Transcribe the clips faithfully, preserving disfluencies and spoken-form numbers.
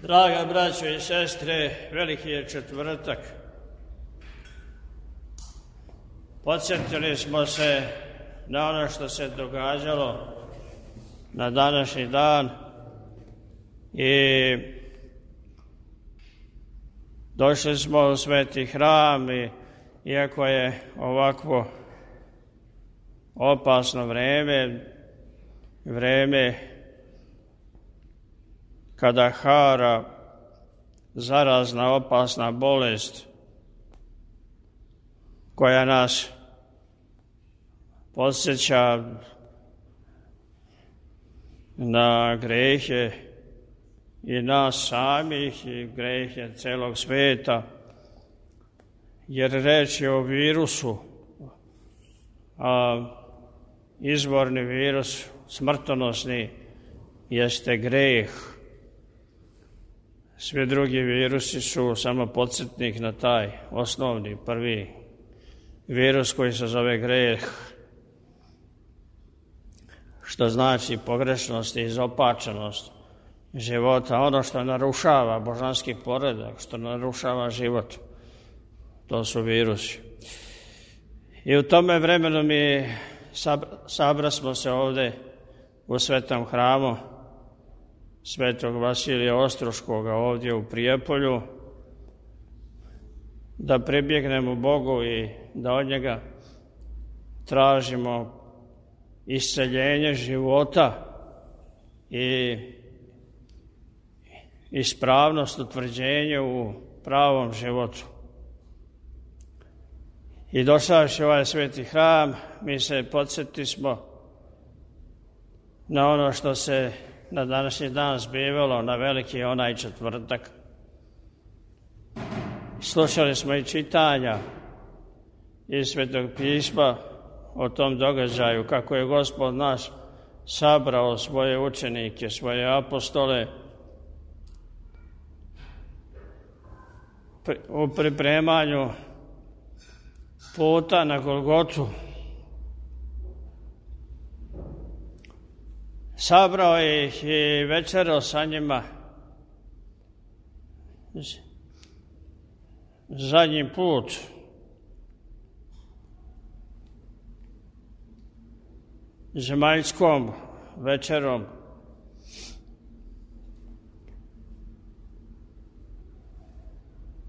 Draga braćo i sestre, veliki je četvrtak. Podsjetili smo se na ono što se događalo na današnji dan i došli smo u sveti hram i iako je ovakvo opasno vreme, vreme kada hara zarazna opasna bolest koja nas podsjeća na grehe i nas samih i grehe celog sveta, jer reč je o virusu, a izvorni virus, smrtonosni, jeste greh. Svi drugi virusi su samo podsjetnik na taj osnovni, prvi virus koji se zove greh, što znači pogrešnost i izopačenost života, ono što narušava božanski poredak, što narušava život, to su virusi. I u tome vremenu mi sabra smo se ovde u svetom hramu Svetog Vasilija Ostroškoga ovdje u Prijepolju, da pribjegnemo Bogu i da od njega tražimo isceljenje života i ispravnost utvrđenja u pravom životu. I došavši u ovaj sveti hram, mi se podsjeti smo na ono što se na današnji dan zbivalo, na veliki onaj četvrtak. Slušali smo i čitanja iz Svetog pisma o tom događaju, kako je Gospod naš sabrao svoje učenike, svoje apostole u pripremanju puta na Golgotu. Sabrao ih i večerao sa njima zadnji put. Zemaljskom večerom.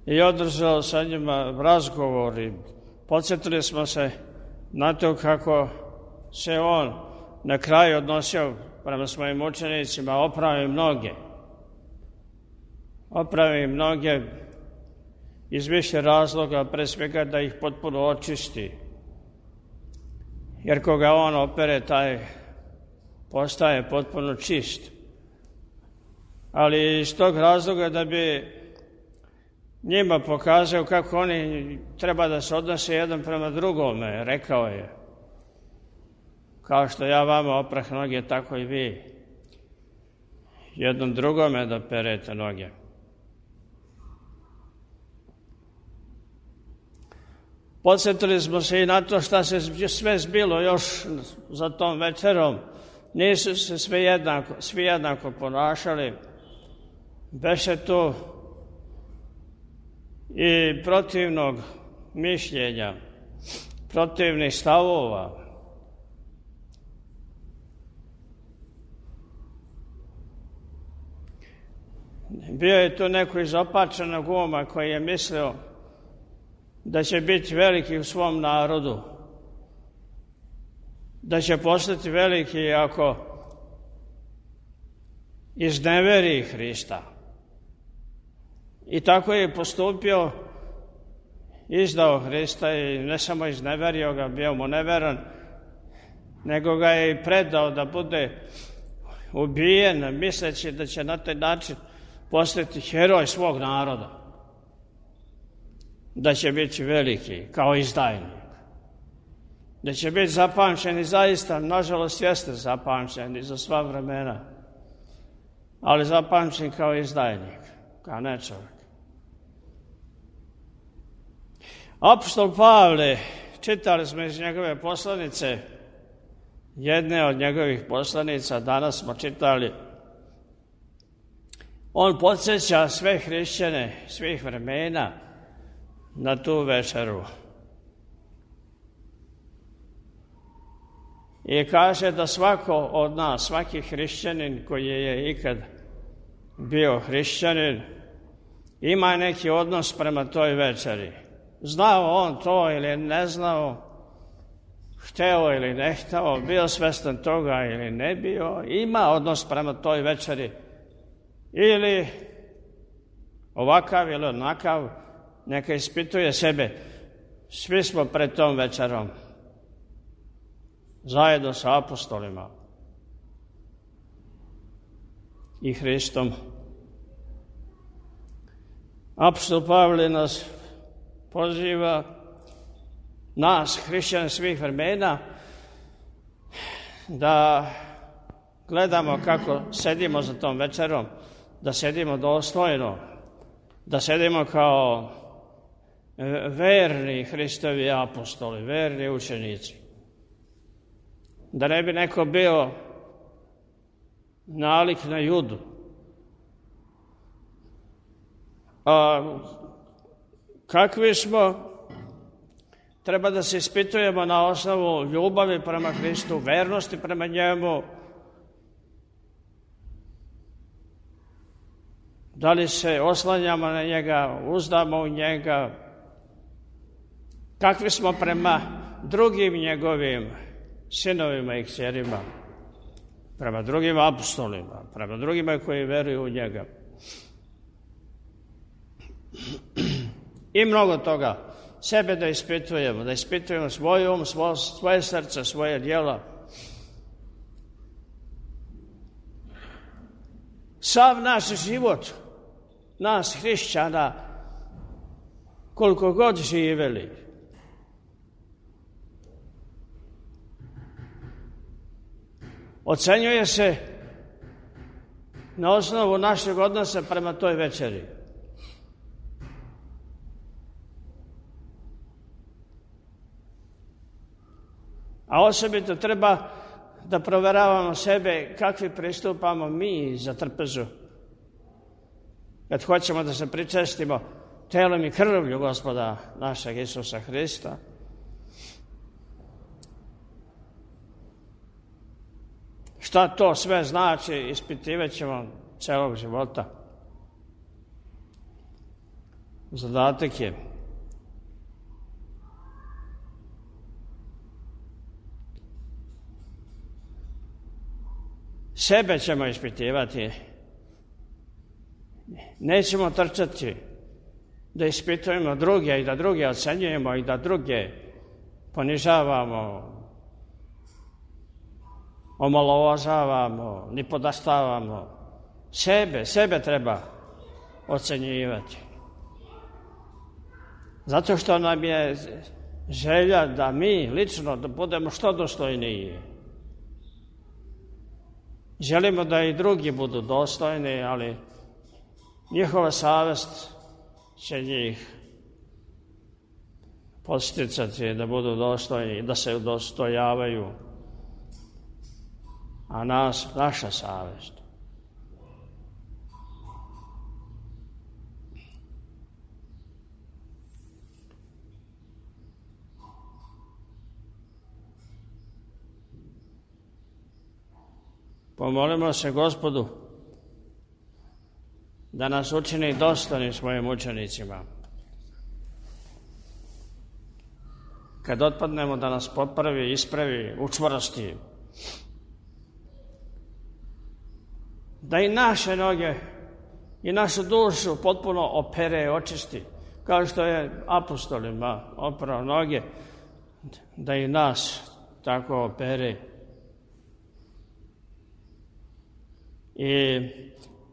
I održao sa njima razgovor i podsjetili smo se na to kako se on na kraju odnosio prema svojim učenicima, opravi mnoge. Opravi mnoge iz više razloga, pre svega da ih potpuno očisti. Jer koga on opere, taj postaje potpuno čist. Ali iz tog razloga da bi njima pokazao kako oni treba da se odnose jedan prema drugome, rekao je: kao što ja vama oprah noge, tako i vi jednom drugome da perete noge. Podsjetili smo se i na to šta se sve zbilo još za tom večerom. Nisu se svi jednako, svi jednako ponašali. Beše tu i protivnog mišljenja, protivnih stavova. Bio je tu neko izopačenog uma koji je mislio da će biti veliki u svom narodu, da će postati veliki ako izneveri Hrista. I tako je postupio, izdao Hrista i ne samo izneverio ga, bio mu neveran, nego ga je i predao da bude ubijen, misleći da će na taj način postati heroj svog naroda, da će biti veliki kao izdajnik, da će biti zapamćen i zaista, nažalost, jeste zapamćen i za sva vremena, ali zapamćen kao izdajnik, kao ne čovjek. Apostol Pavle, čitali smo iz njegove poslanice, jedne od njegovih poslanica, danas smo čitali On podsjeća sve hrišćane svih vremena na tu večeru. I kaže da svako od nas, svaki hrišćanin koji je ikad bio hrišćanin, ima neki odnos prema toj večeri. Znao on to ili ne znao, hteo ili ne hteo, bio svestan toga ili ne bio, ima odnos prema toj večeri. Ili ovakav ili onakav, neka ispituje sebe. Svi smo pred tom večerom, zajedno sa apostolima i Hristom. Apostol Pavle nas poziva, nas, hrišćane svih vremena, da gledamo kako sedimo za tom večerom, da sedimo dostojno, da sedimo kao verni Hristovi apostoli, verni učenici. Da ne bi neko bio nalik na Judu. A kakvi smo, treba da se ispitujemo na osnovu ljubavi prema Hristu, vernosti prema njemu. Da li se oslanjamo na njega, uzdamo u njega, kakvi smo prema drugim njegovim sinovima i kćerima, prema drugim apostolima, prema drugima koji veruju u njega. I mnogo toga. Sebe da ispitujemo, da ispitujemo svoj um, svoje srce, svoje djela. Sav naš život, nas hrišćana, koliko god živeli, ocenjuje se na osnovu našeg odnosa prema toj večeri. A osobito treba da proveravamo sebe kakvi pristupamo mi za trpezu. Kad hoćemo da se pričestimo telom i krvlju Gospoda našeg Isusa Hrista, šta to sve znači, ispitivat ćemo celog života. Zadatak je sebe ćemo ispitivati. Nećemo trčati da ispitujemo druge i da druge ocenjujemo i da druge ponižavamo, omalovažavamo, ni podastavamo. Sebe, sebe treba ocenjivati. Zato što nam je želja da mi lično da budemo što dostojniji. Želimo da i drugi budu dostojni, ali njihova savest će njih podsticati da budu dostojni, da se udostojavaju, a nas, naša savest. Pomolimo se Gospodu da nas učini dostojnim svojim učenicima. Kad otpadnemo, da nas popravi, ispravi, učvrsti. Da i naše noge i našu dušu potpuno opere, očisti. Kao što je apostolima oprao noge, da i nas tako opere. I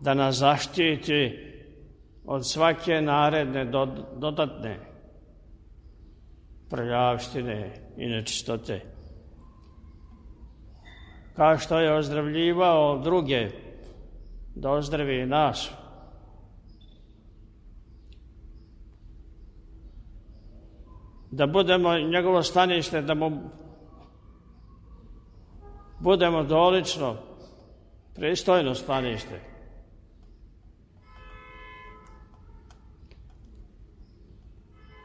da nas zaštiti od svake naredne dodatne prljavštine i nečistote. Kao što je ozdravljivao druge, da ozdravi i nas. Da budemo njegovo stanište, da mu budemo dolično, pristojno stanište.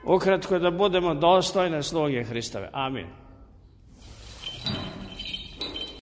Ukratko da budemo dostojne sluge Hristove. Amin.